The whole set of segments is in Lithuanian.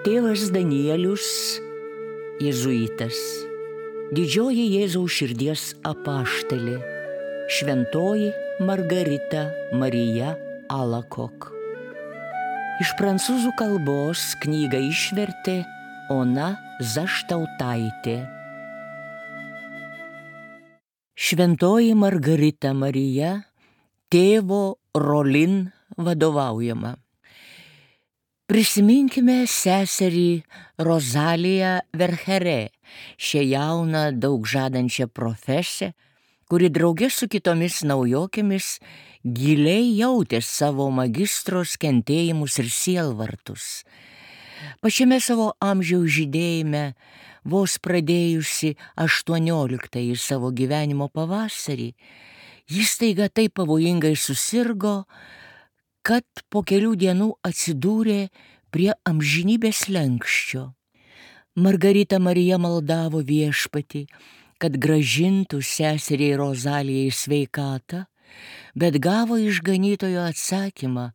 Tėvas Danielius, jėzuitas, didžioji Jėzaus širdies apaštalė, šventoji Margarita Marija Alacoque. Iš prancūzų kalbos knygą išvertė Ona Zaštautaitė. Šventoji Margarita Marija, tėvo Rolin vadovaujama. Prisiminkime seserį Rozaliją Vercherė, šią jauną, daug žadančią profesę, kuri drauge su kitomis naujokėmis giliai jautė savo magistros kentėjimus ir sielvartus. Pačiame savo amžiaus žydėjime, vos pradėjusi 18-ąjį savo gyvenimo pavasarį, jis staiga taip pavojingai susirgo, kad po kelių dienų atsidūrė prie amžinybės slenksčio. Margarita Marija maldavo Viešpatį, kad grąžintų seseriai Rozalijai sveikatą, bet gavo iš ganytojo atsakymą,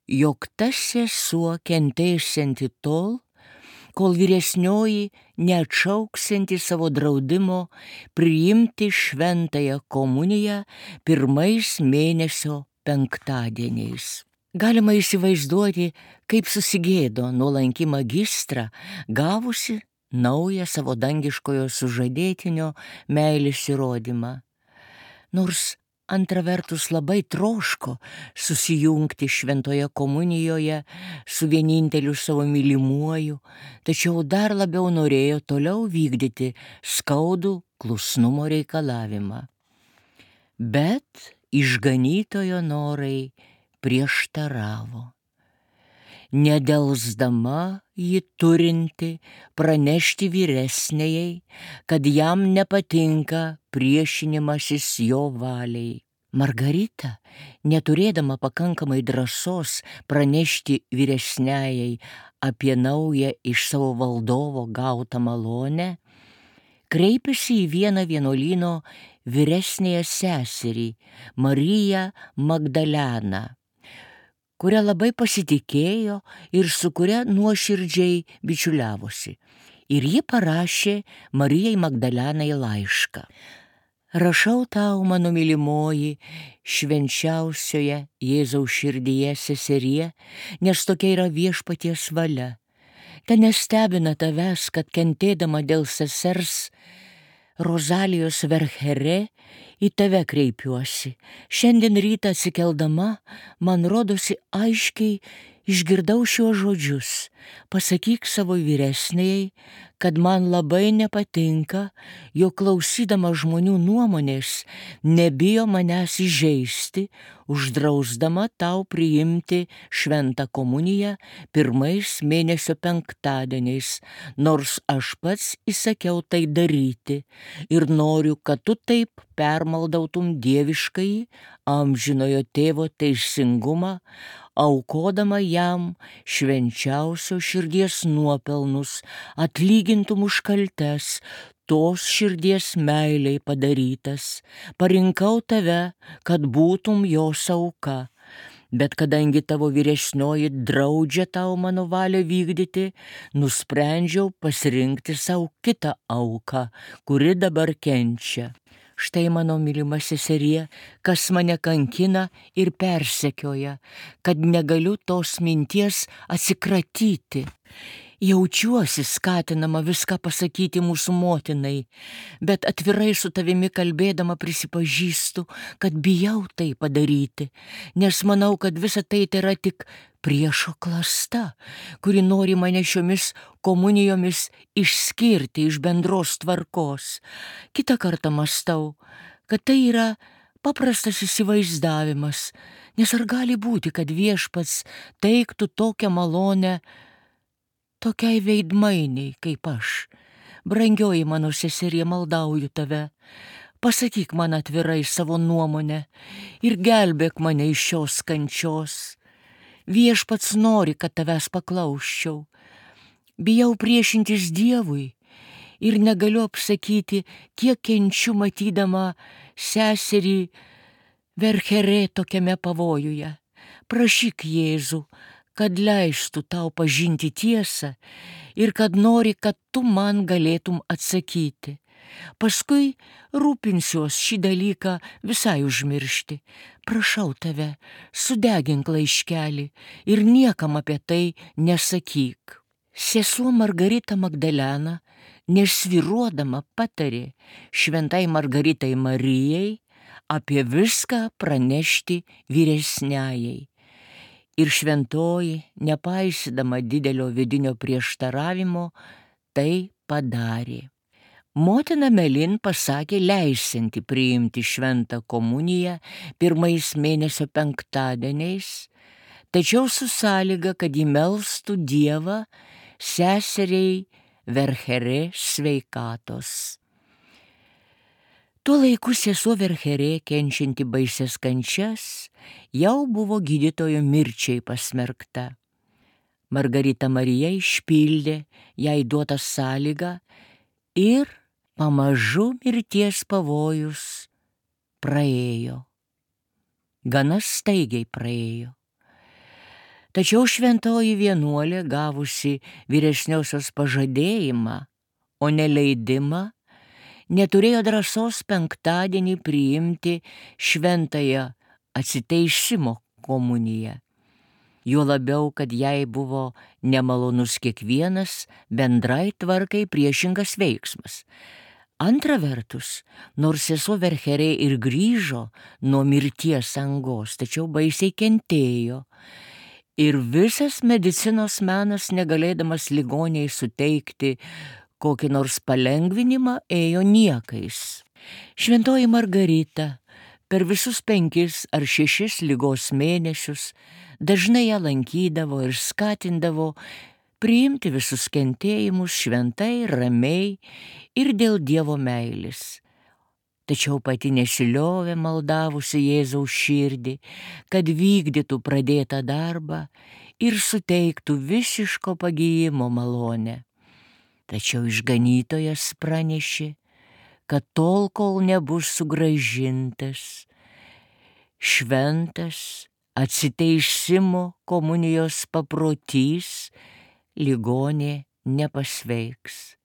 jog tas sesuo kentėsianti tol, kol vyresnioji neatšauksianti savo draudimo priimti šventąją komuniją pirmais mėnesio penktadieniais. Galima įsivaizduoti, kaip susigėdo nuolanki magistra, gavusi naują savo dangiškojo sužadėtinio meilės įrodymą. Nors antra vertus labai troško susijungti šventoje komunijoje su vieninteliu savo mylimuoju, tačiau dar labiau norėjo toliau vykdyti skaudų klusnumo reikalavimą. Bet išganytojo norai prieštaravo. Nedelsdama ji turinti pranešti vyresnėjai, kad jam nepatinka priešinimasis jo valiai. Margarita, neturėdama pakankamai drąsos pranešti vyresnėjai apie naują iš savo valdovo gautą malonę, kreipėsi į vieną vienuolyno vyresnėją seserį, Mariją Magdaleną, kuria labai pasitikėjo ir su kuria nuoširdžiai bičiuliavosi. Ir ji parašė Marijai Magdalenai laišką. Rašau tau, mano mylimoji, švenčiausioje Jėzaus širdyje seserie, nes tokia yra Viešpaties valia. Ten nestebina tavęs, kad kentėdama dėl sesers Rozalijos Vercherė į tave kreipiuosi. Šiandien rytą atsikeldama, man rodosi aiškiai išgirdau šiuos žodžius. Pasakyk savo vyresnėjai, kad man labai nepatinka, jog klausydama žmonių nuomonės nebijo manęs įžeisti, uždrausdama tau priimti šventą komuniją pirmais mėnesio penktadieniais, nors aš pats įsakiau tai daryti ir noriu, kad tu taip permaldautum dieviškąjį amžinojo tėvo teisingumą, aukodama jam švenčiausio širdies nuopelnus, atlygintum už kaltes, tos širdies meiliai padarytas. Parinkau tave, kad būtum jos auka. Bet kadangi tavo vyresnioji draudžia tau mano valią vykdyti, nusprendžiau pasirinkti savo kitą auką, kuri dabar kenčia. Štai mano mylima seserie, kas mane kankina ir persekioja, kad negaliu tos minties atsikratyti. Jaučiuosi skatinama viską pasakyti mūsų motinai, bet atvirai su tavimi kalbėdama prisipažįstu, kad bijau tai padaryti, nes manau, kad visa tai yra tik priešo klasta, kuri nori mane šiomis komunijomis išskirti iš bendros tvarkos. Kitą kartą mąstau, kad tai yra paprastas įsivaizdavimas, nes ar gali būti, kad Viešpats teiktų tokią malonę tokiai veidmainiai kaip aš. Brangioji mano seserie, maldauju tave, pasakyk man atvirai savo nuomonę ir gelbėk mane iš šios kančios. Viešpats nori, kad tavęs paklausčiau. Bijau priešintis Dievui ir negaliu apsakyti, kiek kenčiu matydama seserį Vercherė tokiame pavojuje. Prašyk Jėzų, kad leistų tau pažinti tiesą ir kad nori, kad tu man galėtum atsakyti. Paskui rūpinsiuos šį dalyką visai užmiršti. Prašau tave, sudegink laiškelį ir niekam apie tai nesakyk. Sesuo Margarita Magdalena, nesvyruodama, patarė šventai Margaritai Marijai apie viską pranešti vyresniajai. Ir šventoji, nepaisydama didelio vidinio prieštaravimo, tai padarė. Motina Melin pasakė leisianti priimti šventą komuniją pirmais mėnesio penktadieniais, tačiau su sąlyga, kad ji melstų Dievą seseriai Vercherė sveikatos. Tuo laiku sesuo Vercherė, kenčianti baises kančias, jau buvo gydytojo mirčiai pasmerkta. Margarita Marija išpildė jai duotą sąlygą ir pamažu mirties pavojus praėjo. Gana staigiai praėjo. Tačiau šventoji vienuolė, gavusi vyresniosios pažadėjimą, o ne leidimą, neturėjo drąsos penktadienį priimti šventąją atsiteisimo komuniją. Juo labiau, kad jai buvo nemalonus kiekvienas bendrai tvarkai priešingas veiksmas. Antra vertus, nors sesuo Vercherė ir grįžo nuo mirties angos, tačiau baisiai kentėjo. Ir visas medicinos menas, negalėdamas ligoniai suteikti kokį nors palengvinimą, ėjo niekais. Šventoji Margarita per visus 5 ar 6 ligos mėnesius dažnai ją lankydavo ir skatindavo priimti visus kentėjimus šventai, ramiai ir dėl Dievo meilės. Tačiau pati nesiliovė maldavusi Jėzaus širdį, kad vykdytų pradėtą darbą ir suteiktų visiško pagijimo malonę. Tačiau išganytojas pranešė, kad tol, kol nebus sugrąžintas šventas atsiteisimo komunijos paprotys, ligonė nepasveiks.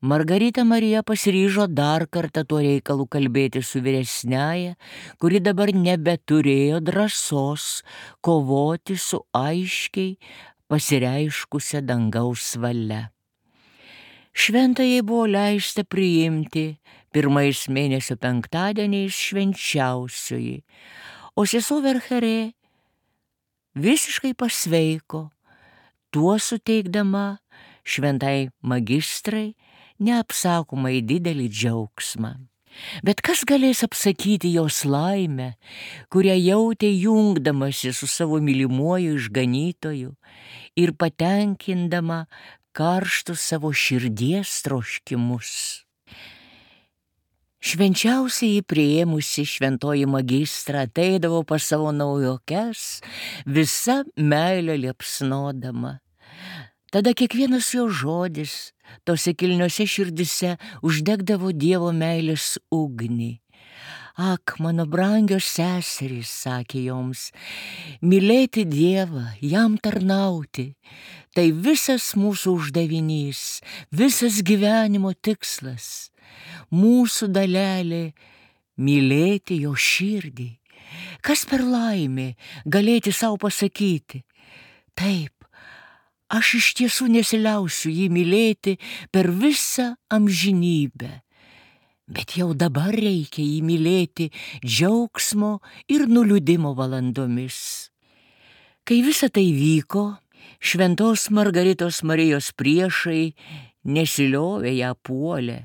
Margarita Marija pasiryžo dar kartą tuo reikalu kalbėti su vyresniaja, kuri dabar nebeturėjo drąsos kovoti su aiškiai pasireiškusia dangaus valia. Šventajai buvo leista priimti pirmais mėnesio penktadieniais švenčiausioji, o sesuo Vercherė visiškai pasveiko, tuo suteikdama šventai magistrai neapsakomai didelį džiaugsmą. Bet kas galės apsakyti jos laimę, kurią jautė jungdamasi su savo mylimuoju išganytoju ir patenkindama karštus savo širdies troškimus. Švenčiausiai priėmusi šventoji magistra ateidavo pas savo naujokes, visa meilė liepsnodama. Tada kiekvienas jo žodis tose kilniose širdise uždegdavo Dievo meilės ugnį. Ak, mano brangios seserys, sakė joms, mylėti Dievą, jam tarnauti, tai visas mūsų uždavinys, visas gyvenimo tikslas, mūsų dalelė mylėti jo širdį. Kas per laimė galėti savo pasakyti? Taip, aš iš tiesų nesiliausiu jį mylėti per visą amžinybę, bet jau dabar reikia jį mylėti džiaugsmo ir nuliūdimo valandomis. Kai visa tai vyko, šventos Margaritos Marijos priešai nesiliovė ją puolę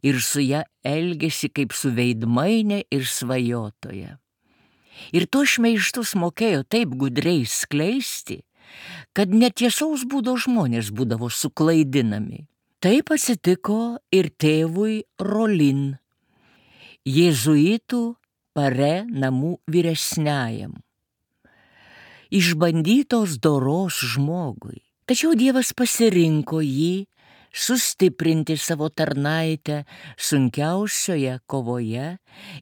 ir su ją elgėsi kaip su veidmaine ir svajotoja. Ir to šmeižtus mokėjo taip gudriai skleisti, kad netiesaus būdo žmonės būdavo suklaidinami. Taip atsitiko ir tėvui Rolin, jėzuitų Pare namų vyresniajam, išbandytos doros žmogui. Tačiau Dievas pasirinko jį sustiprinti savo tarnaitę sunkiausioje kovoje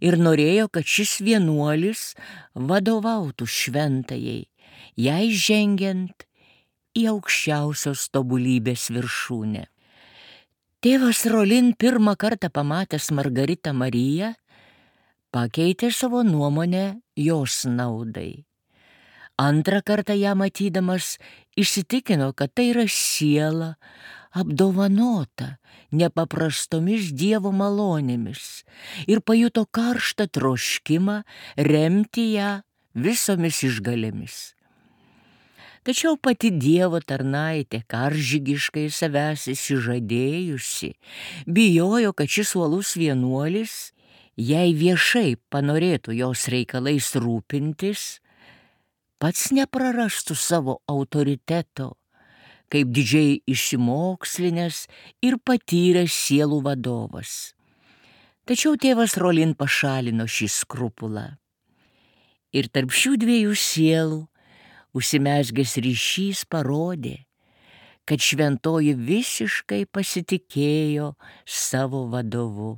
ir norėjo, kad šis vienuolis vadovautų šventajai jai žengiant į aukščiausios tobulybės viršūnę. Tėvas Rolin pirmą kartą pamatęs Margaritą Mariją, pakeitė savo nuomonę jos naudai. Antrą kartą ją matydamas įsitikino, kad tai yra siela apdovanota nepaprastomis Dievo malonėmis ir pajuto karštą troškimą remti ją visomis išgalėmis. Tačiau pati Dievo tarnaitė, karžygiškai savęs įsižadėjusi, bijojo, kad šis uolus vienuolis, jei viešai panorėtų jos reikalais rūpintis, pats neprarastų savo autoriteto, kaip didžiai išsimokslinęs ir patyręs sielų vadovas. Tačiau tėvas Rolin pašalino šį skrupulą. Ir tarp šių dviejų sielų užsimezgęs ryšys parodė, kad šventoji visiškai pasitikėjo savo vadovu.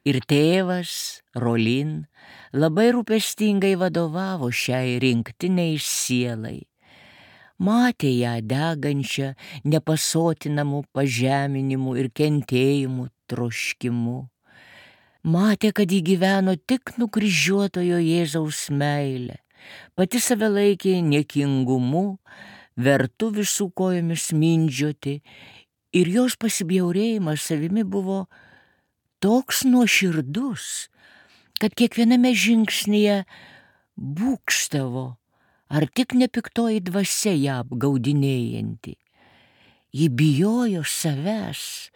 Ir tėvas Rolin labai rūpestingai vadovavo šiai rinktiniai sielai. Matė ją degančią nepasotinamų pažeminimų ir kentėjimų troškimu. Matė, kad ji gyveno tik nukryžiuotojo Jėzaus meilę, pati save laikė niekingumu, vertu visų kojomis mindžioti, ir jos pasibjaurėjimas savimi buvo toks nuoširdus, kad kiekviename žingsnyje būgštavo, ar tik nepiktoji dvasia ją apgaudinėjanti. Ji bijojo savęs,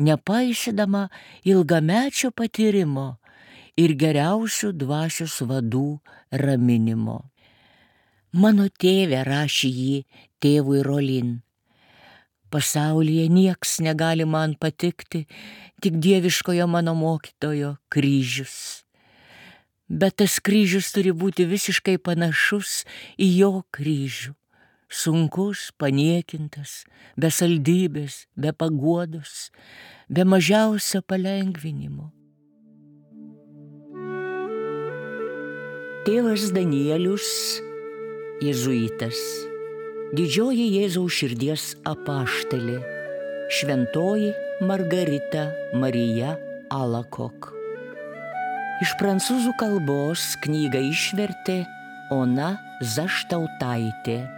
nepaisydama ilgamečio patyrimo ir geriausių dvasios vadų raminimo. Mano tėve, rašė ji tėvui Rolin, pasaulyje nieks negali man patikti, tik dieviškojo mano mokytojo kryžius. Bet tas kryžius turi būti visiškai panašus į jo kryžių. Sunkus, paniekintas, be saldybės, be paguodos, be mažiausio palengvinimo. Tėvas Danielius, jėzuitas, didžioji Jėzaus širdies apaštalė, šventoji Margarita Marija Alakok. Iš prancūzų kalbos knygą išvertė Ona Zaštautaitė.